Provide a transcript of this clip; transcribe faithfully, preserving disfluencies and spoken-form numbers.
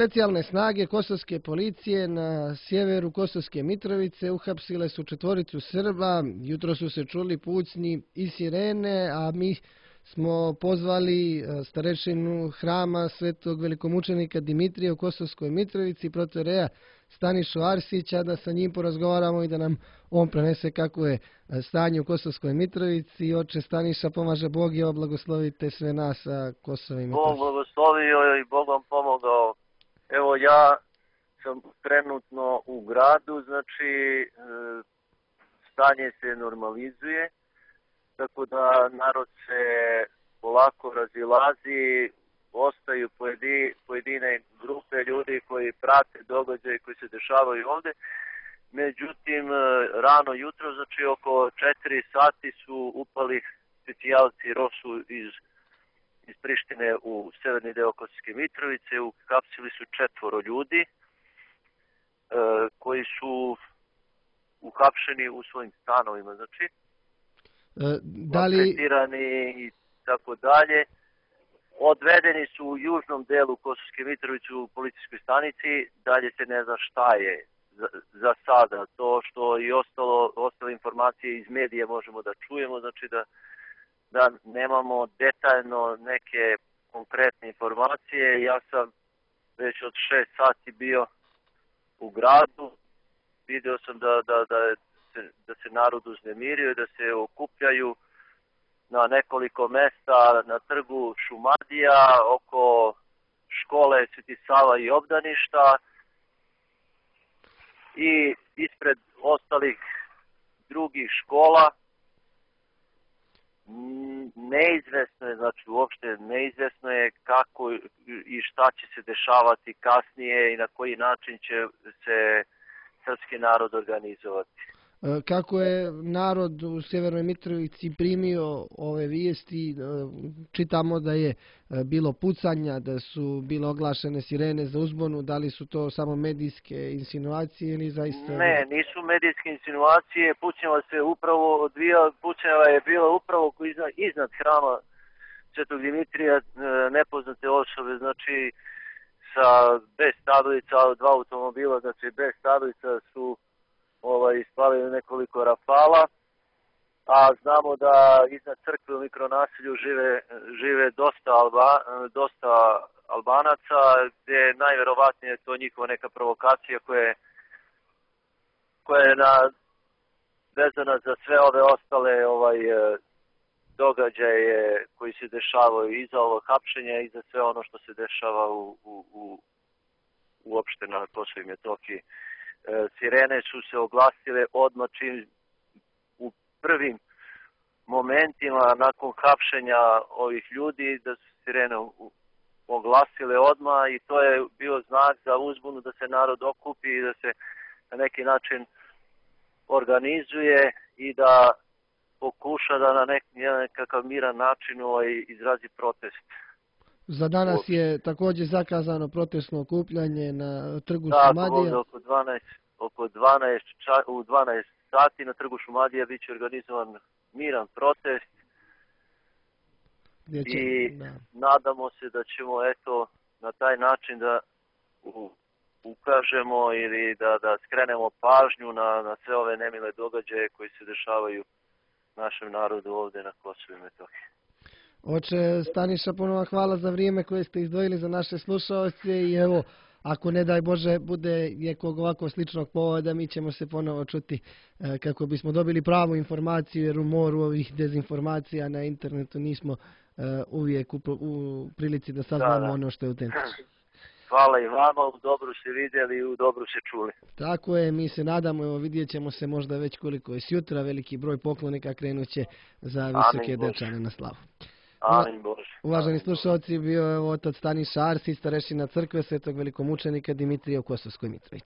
Specijalne snage Kosovske policije na sjeveru Kosovske Mitrovice uhapsile su četvoricu Srba. Jutro su se čuli pucnji i sirene, a mi smo pozvali starešinu hrama Svetog velikomučenika Dimitrija u Kosovskoj Mitrovici, protoreja Stanišu Arsića, da sa njim porazgovaramo i da nam on prenese kako je stanje u Kosovskoj Mitrovici. Oče Staniša, pomaže Bog i blagoslovite sve nas sa Kosova i Mitrovice. Bog blagoslovio i Bog vam pomogao. Evo, ja sam trenutno u gradu, znači stanje se normalizuje, tako da narod se polako razilazi, ostaju pojedine grupe ljudi koji prate događaje koji se dešavaju ovde. Međutim, rano jutro, znači oko četiri sati su upali specijalci Rosu iz, iz Prištine u severni deo Kosovske Mitrovice, uhapsili su četvoro ljudi e, koji su uhapšeni u svojim stanovima, znači, e, da li... maltretirani i tako dalje. Odvedeni su u južnom delu Kosovske Mitrovice u policijskoj stanici, dalje se ne zna šta je za, za sada. To što i ostalo, ostale informacije iz medija možemo da čujemo, znači da, da nemamo detaljno neke konkretne informacije. Ja sam već od šest sati bio u gradu, vidio sam da, da, da, se, da se narod uznemirio i da se okupljaju na nekoliko mesta na trgu Šumadija, oko škole Sveti Sava i obdaništa i ispred ostalih drugih škola. Neizvesno je, znači uopšte neizvesno je kako i šta će se dešavati kasnije i na koji način će se srpski narod organizovati. Kako je narod u Sjevernoj Mitrovici primio ove vijesti? Čitamo da je bilo pucanja, da su bile oglašene sirene za uzbunu. Da li su to samo medijske insinuacije ili zaista... Ne, nisu medijske insinuacije. Pucnjava se upravo odvija, pucnjava je bila upravo iznad, iznad hrama Svetog Dimitrija, nepoznate osobe, znači sa bez tablica, dva automobila, znači bez tablica su ovaj, ispalili nekoliko rafala, a znamo da iznad crkve u mikronasilju žive, žive dosta, Alba, dosta Albanaca, gdje je najverovatnije to njihova neka provokacija koja je, koja je na, vezana za sve ove ostale ovaj, događaje koji se dešavaju iza ovog hapšenja i za sve ono što se dešava u, u, u, uopšte na Kosovu i Metohiji. Sirene su se oglasile odmah čim u prvim momentima nakon hapšenja ovih ljudi, da su sirene oglasile odmah i to je bio znak za uzbunu da se narod okupi i da se na neki način organizuje i da pokuša da na nek, nekakav miran način ovaj, izrazi protest. Za danas je također zakazano protestno okupljanje na trgu da, Šumadija. Da, oko dvanaest, oko dvanaest, u dvanaest sati na trgu Šumadija bit će organizovan miran protest. Će, i da. Nadamo se da ćemo eto na taj način da u, ukažemo ili da, da skrenemo pažnju na, na sve ove nemile događaje koji se dešavaju našem narodu ovdje na Kosovu i Metohiji. Oče Staniša, ponovo hvala za vrijeme koje ste izdvojili za naše slušalce i evo, ako ne daj Bože bude nekog ovako sličnog povoda, mi ćemo se ponovo čuti e, kako bismo dobili pravu informaciju, jer u moru ovih dezinformacija na internetu nismo e, uvijek u, u prilici da saznamo da, da. ono što je autentično. Hvala i vama, u dobru se vidjeli i u dobru se čuli. Tako je, mi se nadamo, evo vidjet ćemo se možda već koliko je sjutra, veliki broj poklonika krenuće za visoke dečane na slavu. Amin Bože. Uvaženi slušalci, bio je otac Staniša Arsić, starešina crkve Svetog velikomučenika Dimitrija u Kosovskoj Mitrovici.